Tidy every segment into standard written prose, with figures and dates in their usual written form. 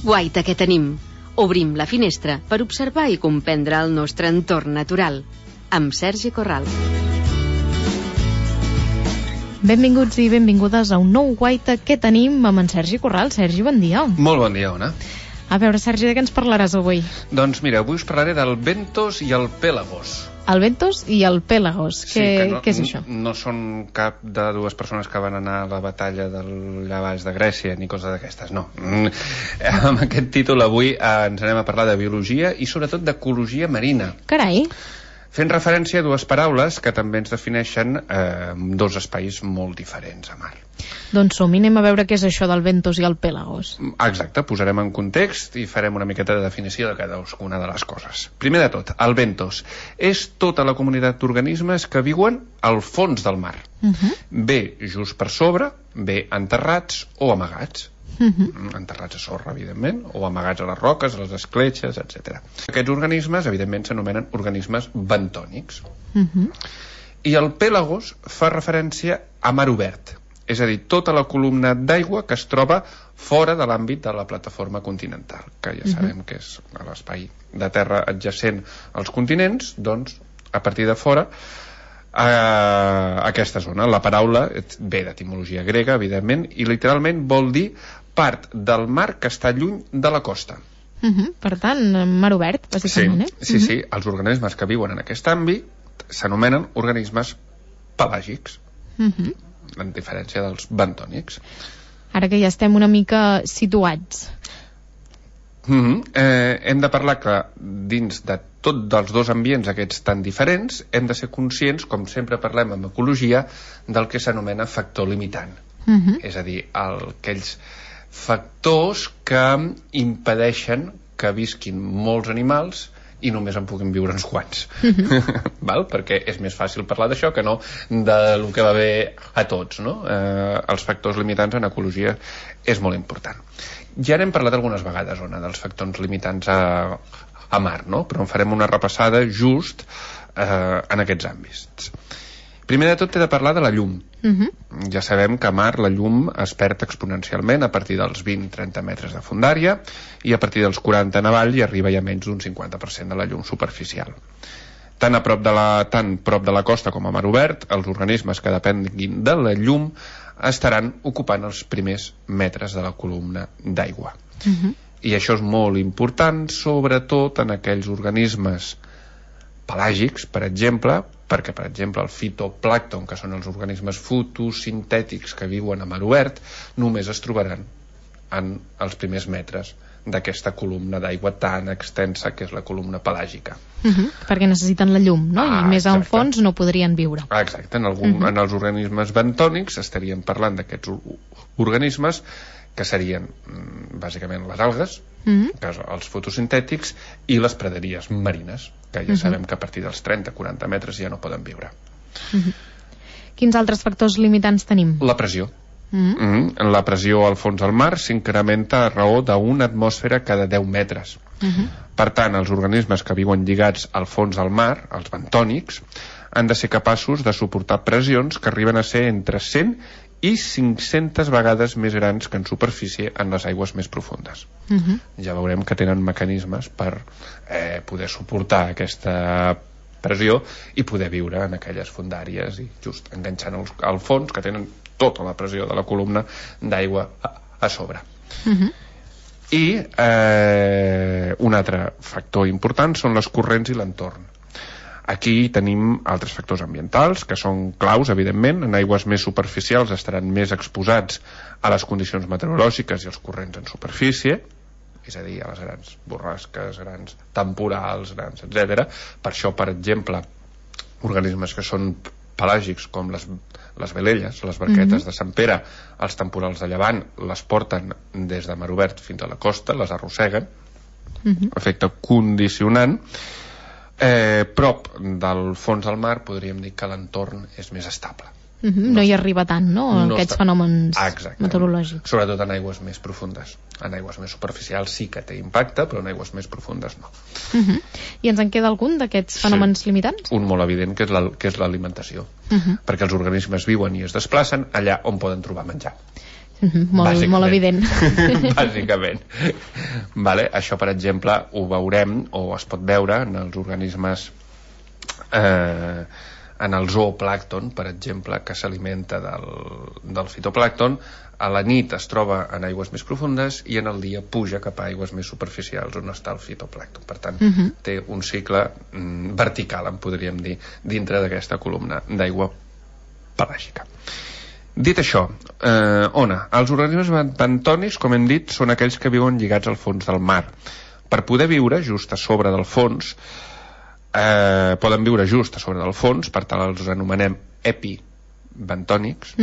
Guaita que tenim. Obrim la finestra per observar i comprendre el nostre entorn natural. Amb Sergi Corral. Benvinguts i benvingudes a un nou Guaita que tenim amb en Sergi Corral. Sergi, bon dia. Molt bon dia, Ona. A veure, Sergi, de què ens parlaràs avui? Doncs mira, avui us parlaré del Bentos i el Pélagos. El Bentos i el Pélagos. Què és això? No són cap de dues persones que van anar a la batalla d'allà baix de Grècia ni coses d'aquestes, no. Amb aquest títol avui ens anem a parlar de biologia i sobretot d'ecologia marina. Carai! Fent referència a dues paraules que també ens defineixen dos espais molt diferents a mar. Doncs som-hi, anem a veure què és això del Bentos i el Pélagos. Exacte, posarem en context i farem una miqueta de definició de cadascuna de les coses. Primer de tot, el Bentos és tota la comunitat d'organismes que viuen al fons del mar. Bé just per sobre, bé enterrats o amagats. Enterrats a sorra, evidentment, o amagats a les roques, a les escletxes, etc. Aquests organismes, evidentment, s'anomenen organismes bentònics. I el Pélagos fa referència a mar obert, és a dir, tota la columna d'aigua que es troba fora de l'àmbit de la plataforma continental, que ja sabem que és l'espai de terra adjacent als continents, doncs, a partir de fora, aquesta zona. La paraula ve d'etimologia grega, evidentment, i literalment vol dir part del mar que està lluny de la costa. Per tant, mar obert, bàsicament, Sí. Els organismes que viuen en aquest àmbit s'anomenen organismes pelàgics, en diferència dels bentònics. Ara que ja estem una mica situats. Hem de parlar que dins de tots dels dos ambients aquests tan diferents hem de ser conscients, com sempre parlem en ecologia, del que s'anomena factor limitant. És a dir, aquells factors que impedeixen que visquin molts animals i només en puguin viure uns quants. Val? Perquè és més fàcil parlar d'això que no del que va bé a tots, no? Els factors limitants en ecologia és molt important. Ja n'hem parlat algunes vegades, Ona, dels factors limitants a mar, no? Però en farem una repassada just en aquests àmbits. Primer de tot he de parlar de la llum. Ja sabem que a mar la llum es perd exponencialment a partir dels 20-30 metres de fondària i a partir dels 40 en avall hi arriba ja menys d'un 50% de la llum superficial. Tant prop de la costa com a mar obert, els organismes que depenguin de la llum estaran ocupant els primers metres de la columna d'aigua. I això és molt important, sobretot en aquells organismes pelàgics, per exemple, perquè, per exemple, el fitoplàncton, que són els organismes fotosintètics que viuen a mar obert, només es trobaran en els primers metres d'aquesta columna d'aigua tan extensa que és la columna pelàgica. Perquè necessiten la llum, no? I més al fons no podrien viure. Exacte, en els organismes bentònics estaríem parlant d'aquests organismes que serien bàsicament les algues, els fotosintètics, i les praderies marines, que ja sabem que a partir dels 30-40 metres ja no poden viure. Quins altres factors limitants tenim? La pressió. La pressió al fons del mar s'incrementa a raó d'una atmosfera cada 10 metres. Per tant, els organismes que viuen lligats al fons del mar, els bentònics, han de ser capaços de suportar pressions que arriben a ser entre 100 i 500 vegades més grans que en superfície en les aigües més profundes. Ja veurem que tenen mecanismes per poder suportar aquesta pressió i poder viure en aquelles fondàries i just enganxant al fons, que tenen tota la pressió de la columna d'aigua a sobre. I un altre factor important són les corrents i l'entorn. Aquí tenim altres factors ambientals que són claus, evidentment. En aigües més superficials estaran més exposats a les condicions meteorològiques i els corrents en superfície, és a dir, a les grans borrasques, grans temporals, grans, etc. Per això, per exemple, organismes que són pelàgics com les velelles, les barquetes de Sant Pere, els temporals de llevant les porten des de mar obert fins a la costa, les arrosseguen, efecte condicionant. Prop del fons del mar podríem dir que l'entorn és més estable. No hi arriba tant, no? Aquests fenòmens meteorològics. Sobretot en aigües més profundes. En aigües més superficials sí que té impacte, però en aigües més profundes no. I ens en queda algun d'aquests fenòmens limitants? Un molt evident, que és l'alimentació. Perquè els organismes viuen i es desplacen allà on poden trobar menjar. Molt evident. Bàsicament. Vale? Això, per exemple, ho veurem, o es pot veure en els organismes, en el zooplàncton, per exemple, que s'alimenta del fitoplàncton. A la nit es troba en aigües més profundes i en el dia puja cap a aigües més superficials on està el fitoplàncton. Per tant, té un cicle vertical, en podríem dir, dintre d'aquesta columna d'aigua pelàgica. Dit això, Ona, els organismes bentònics, com hem dit, són aquells que viuen lligats al fons del mar. Per poder viure just a sobre del fons, poden viure just a sobre del fons, per tant els anomenem epibentònics,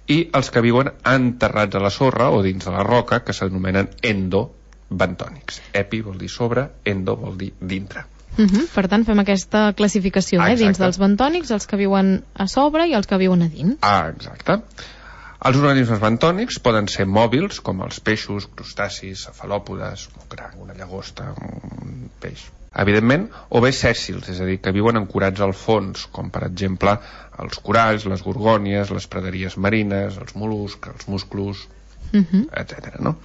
i els que viuen enterrats a la sorra o dins de la roca, que s'anomenen endobentònics. Epi vol dir sobre, endo vol dir dintre. Per tant, fem aquesta classificació, dins dels bentònics, els que viuen a sobre i els que viuen a dins. Exacte. Els organismes bentònics poden ser mòbils, com els peixos, crustacis, cefalòpodes, un cranc, una llagosta, un peix, evidentment, o bé sèssils, és a dir, que viuen ancorats al fons, com per exemple els coralls, les gorgònies, les praderies marines, els mol·luscs, els musclos, etc. No?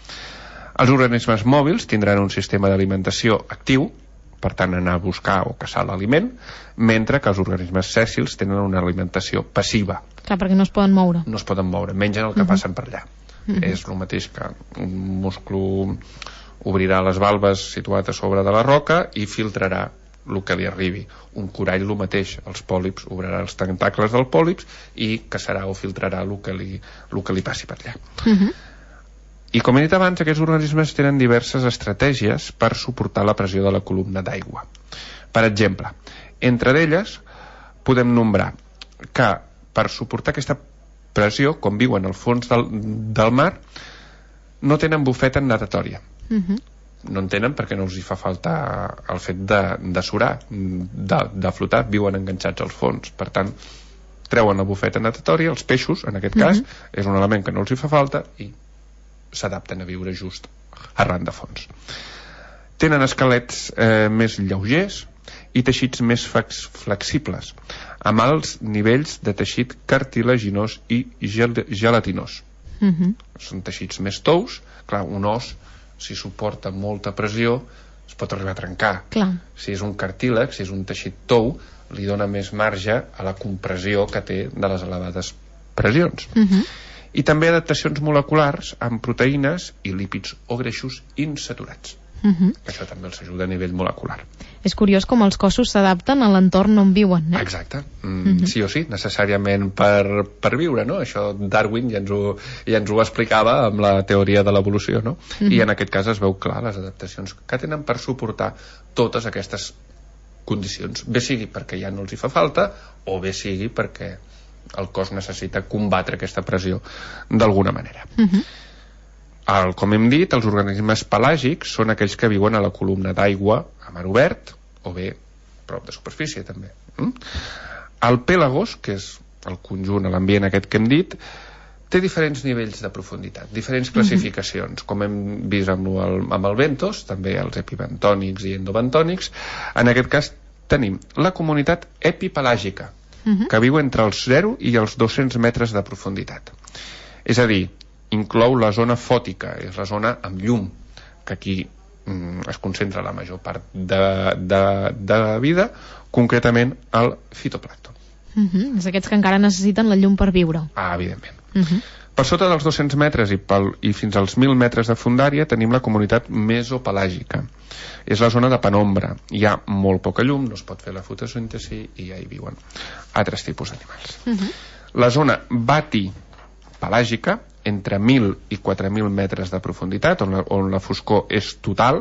Els organismes mòbils tindran un sistema d'alimentació actiu, per tant anar a buscar o caçar l'aliment, mentre que els organismes sèssils tenen una alimentació passiva. Clar, perquè no es poden moure. No es poden moure, mengen el que passen per allà. És el mateix que un musclo obrirà les valves situat a sobre de la roca i filtrarà el que li arribi. Un corall el mateix, els pòlips obrarà els tentacles del pòlips i caçarà o filtrarà el que li passi per allà. I com he dit abans, aquests organismes tenen diverses estratègies per suportar la pressió de la columna d'aigua. Per exemple, entre elles podem nombrar que per suportar aquesta pressió, com viuen al fons del mar, no tenen bufeta natatòria. No en tenen perquè no els hi fa falta el fet de surar, de flotar, viuen enganxats al fons. Per tant, treuen la bufeta natatòria, els peixos, en aquest cas, és un element que no els hi fa falta i s'adapten a viure just arran de fons. Tenen esquelets més lleugers i teixits més flexibles, amb alts nivells de teixit cartilaginós i gelatinós. Són teixits més tous. Clar, un os, si suporta molta pressió, es pot arribar a trencar. Clar. Si és un cartílag, si és un teixit tou, li dona més marge a la compressió que té de les elevades pressions. I també adaptacions moleculars amb proteïnes i lípids o greixos insaturats. Això també els ajuda a nivell molecular. És curiós com els cossos s'adapten a l'entorn on viuen, Exacte. Sí o sí, necessàriament per viure, no? Això Darwin ja ens ho explicava amb la teoria de l'evolució, no? I en aquest cas es veu clar les adaptacions que tenen per suportar totes aquestes condicions. Bé sigui perquè ja no els hi fa falta, o bé sigui perquè el cos necessita combatre aquesta pressió d'alguna manera. Com hem dit, els organismes pelàgics són aquells que viuen a la columna d'aigua a mar obert o bé prop de superfície també. El pèlagos, que és el conjunt, l'ambient aquest que hem dit, té diferents nivells de profunditat, diferents classificacions, com hem vist amb el bentos, també els epibentònics i endobentònics. En aquest cas tenim la comunitat epipelàgica, que viu entre els 0 i els 200 metres de profunditat. És a dir, inclou la zona fòtica, és la zona amb llum, que aquí es concentra la major part de vida, concretament el fitoplàncton. És aquests que encara necessiten la llum per viure. Evidentment. Per sota dels 200 metres i fins als 1.000 metres de fondària tenim la comunitat mesopelàgica. És la zona de penombra. Hi ha molt poca llum, no es pot fer la fotosíntesi i ja hi viuen altres tipus d'animals. La zona batipelàgica, entre 1.000 i 4.000 metres de profunditat, on la foscor és total,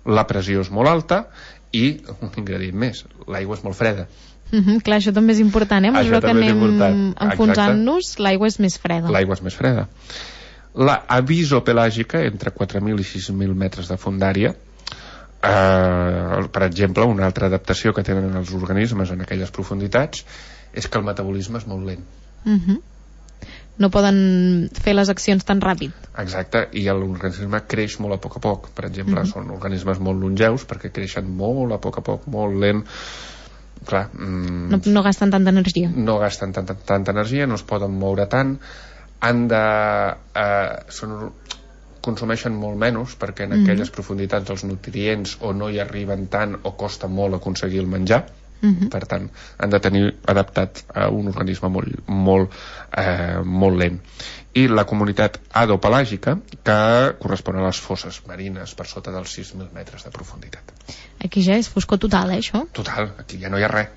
la pressió és molt alta i, un ingredient més, l'aigua és molt freda. Clar, això també és important, a mesura que anem enfonsant-nos, l'aigua és més freda. L'aigua és més freda. La avisopelàgica, entre 4.000 i 6.000 metres de fondària, per exemple, una altra adaptació que tenen els organismes en aquelles profunditats és que el metabolisme és molt lent. No poden fer les accions tan ràpid. Exacte, i l'organisme creix molt a poc. Per exemple, són organismes molt longeus perquè creixen molt a poc, molt lent. Clar, no gasten tanta energia. No gasten tanta energia, no es poden moure tant. consumeixen molt menys perquè en aquelles profunditats els nutrients o no hi arriben tant o costa molt aconseguir el menjar. Per tant, han de tenir adaptat a un organisme molt lent. I la comunitat hadopelàgica, que correspon a les fosses marines per sota dels 6.000 metres de profunditat. Aquí ja és foscor total, això? Total, aquí ja no hi ha res.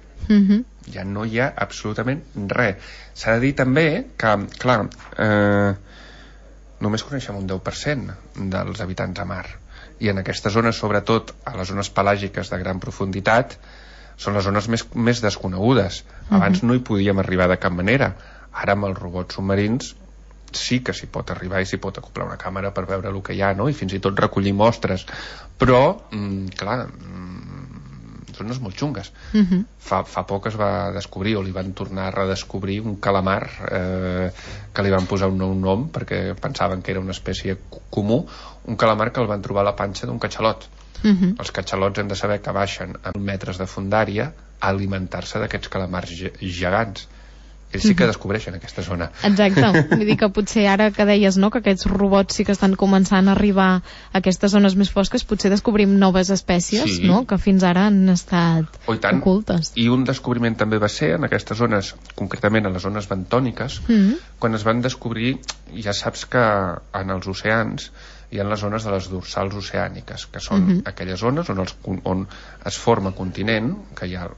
Ja no hi ha absolutament res. S'ha de dir també que, clar, només coneixem un 10% dels habitants a mar, i en aquestes zones, sobretot a les zones pelàgiques de gran profunditat, són les zones més desconegudes. Abans no hi podíem arribar de cap manera. Ara amb els robots submarins sí que s'hi pot arribar i s'hi pot acoplar una càmera per veure el que hi ha, no? I fins i tot recollir mostres, però clar, zones molt xungues. Fa poc es va descobrir, o li van tornar a redescobrir, un calamar que li van posar un nou nom perquè pensaven que era una espècie comú, un calamar que el van trobar a la panxa d'un catxalot. Els catxalots hem de saber que baixen a metres de fondària a alimentar-se d'aquests calamars gegants. Ells sí que descobreixen aquesta zona. Exacte, vull dir que potser ara que deies, no?, que aquests robots sí que estan començant a arribar a aquestes zones més fosques, potser descobrim noves espècies, no?, que fins ara han estat ocultes. I un descobriment també va ser en aquestes zones, concretament a les zones bentòniques, quan es van descobrir, ja saps que en els oceans hi ha les zones de les dorsals oceàniques, que són aquelles zones on es forma continent, que hi ha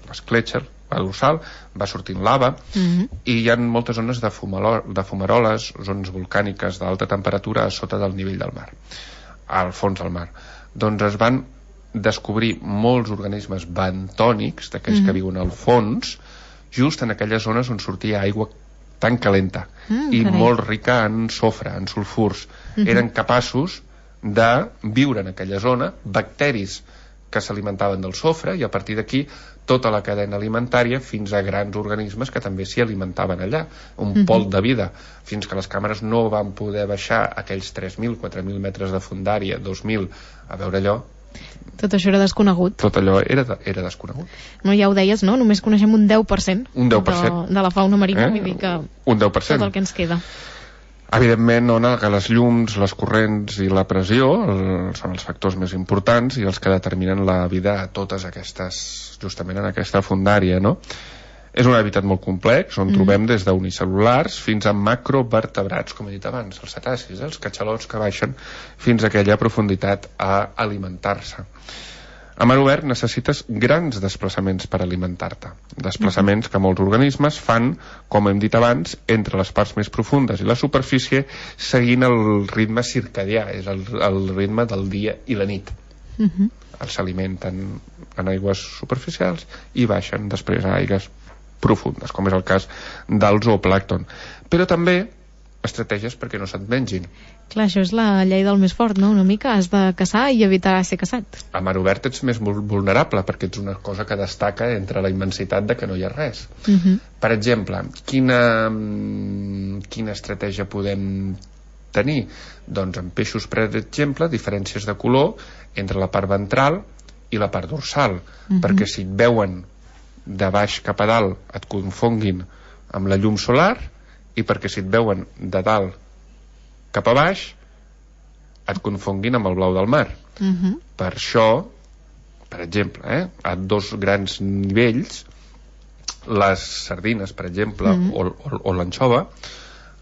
l'escletxa, la dorsal, va sortint lava, i hi ha moltes zones de fumaroles, zones volcàniques d'alta temperatura a sota del nivell del mar, al fons del mar. Doncs es van descobrir molts organismes bentònics, d'aquells que viuen al fons, just en aquelles zones on sortia aigua tan calenta i molt rica en sofre, en sulfurs. Eren capaços de viure en aquella zona bacteris que s'alimentaven del sofre, i a partir d'aquí tota la cadena alimentària fins a grans organismes que també s'hi alimentaven allà, un pol de vida, fins que les càmeres no van poder baixar aquells 3.000, 4.000 metres de fondària, 2.000, a veure allò. Tot això era desconegut. Tot allò era desconegut. No, ja ho deies, no? Només coneixem un 10%, un 10%. De la fauna marina, vull dir que un 10%. tot el que ens queda. Evidentment, que les llums, les corrents i la pressió són els factors més importants i els que determinen la vida a totes aquestes, justament en aquesta fondària, no? És un hàbitat molt complex, on trobem des d'unicel·lulars fins a macrovertebrats, com he dit abans, els cetacis, els catxalots que baixen fins a aquella profunditat a alimentar-se. A mar obert necessites grans desplaçaments per alimentar-te, desplaçaments que molts organismes fan, com hem dit abans, entre les parts més profundes i la superfície, seguint el ritme circadià, és el ritme del dia i la nit. S'alimenten en aigües superficials i baixen després a aigües profundes, com és el cas del zooplàncton. Però també estratègies perquè no se't mengin. Clar, això és la llei del més fort, no? Una mica has de caçar i evitar ser caçat. A mar obert ets més vulnerable perquè ets una cosa que destaca entre la immensitat de que no hi ha res. Per exemple, quina estratègia podem tenir? Doncs en peixos, per exemple, diferències de color entre la part ventral i la part dorsal, perquè si et veuen de baix cap a dalt et confonguin amb la llum solar, i perquè si et veuen de dalt cap a baix et confonguin amb el blau del mar. Per això, per exemple, a dos grans nivells, les sardines, per exemple, o l'anxova,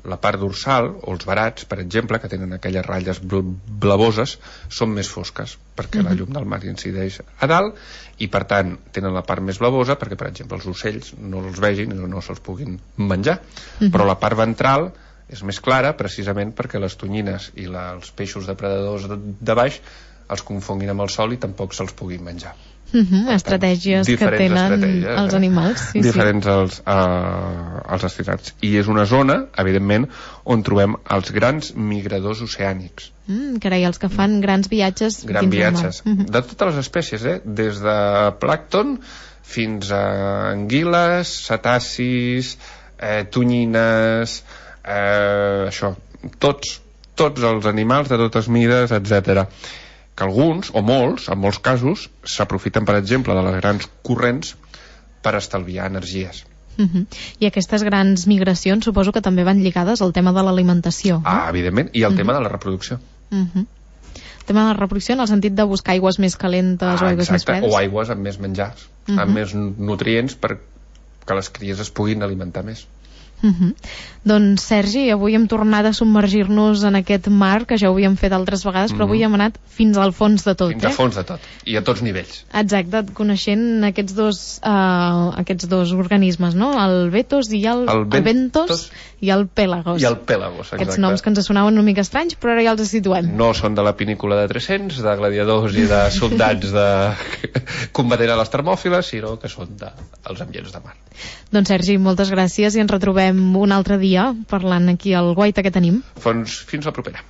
la part dorsal, o els verats, per exemple, que tenen aquelles ratlles blavoses, són més fosques, perquè la llum del mar incideix a dalt, i per tant tenen la part més blavosa perquè, per exemple, els ocells no els vegin i no se'ls puguin menjar. Però la part ventral és més clara, precisament perquè les tonyines i els peixos depredadors de baix els confonguin amb el sol i tampoc se'ls puguin menjar. Estratègies que tenen els animals. Diferents als destinats. I és una zona, evidentment, on trobem els grans migradors oceànics. Carai, els que fan grans viatges dins del mar. De totes les espècies, des de plàncton fins a anguiles, cetacis, tonyines, tots els animals de totes mides, etc. Que alguns, o molts, en molts casos, s'aprofiten, per exemple, de les grans corrents per estalviar energies. I aquestes grans migracions suposo que també van lligades al tema de l'alimentació. Evidentment, i al tema de la reproducció. El tema de la reproducció en el sentit de buscar aigües més calentes o aigües més fredes. O aigües amb més menjars, amb més nutrients perquè les cries es puguin alimentar més. Doncs Sergi, avui hem tornat a submergir-nos en aquest mar que ja ho havíem fet altres vegades, però avui hem anat fins al fons de tot. Fins al fons de tot, i a tots nivells. Exacte, coneixent aquests dos organismes, no? El Betos i el Bentos i el Pélagos. I el Pélagos, exacte. Aquests noms que ens sonaven una mica estranys, però ara ja els situem. No són de la pinícula de 300, de gladiadors i de soldats combatent a les termòfiles, sinó que són dels ambients de mar. Doncs Sergi, moltes gràcies i ens retrobem un altre dia parlant aquí al Guaita que tenim. Fins la propera.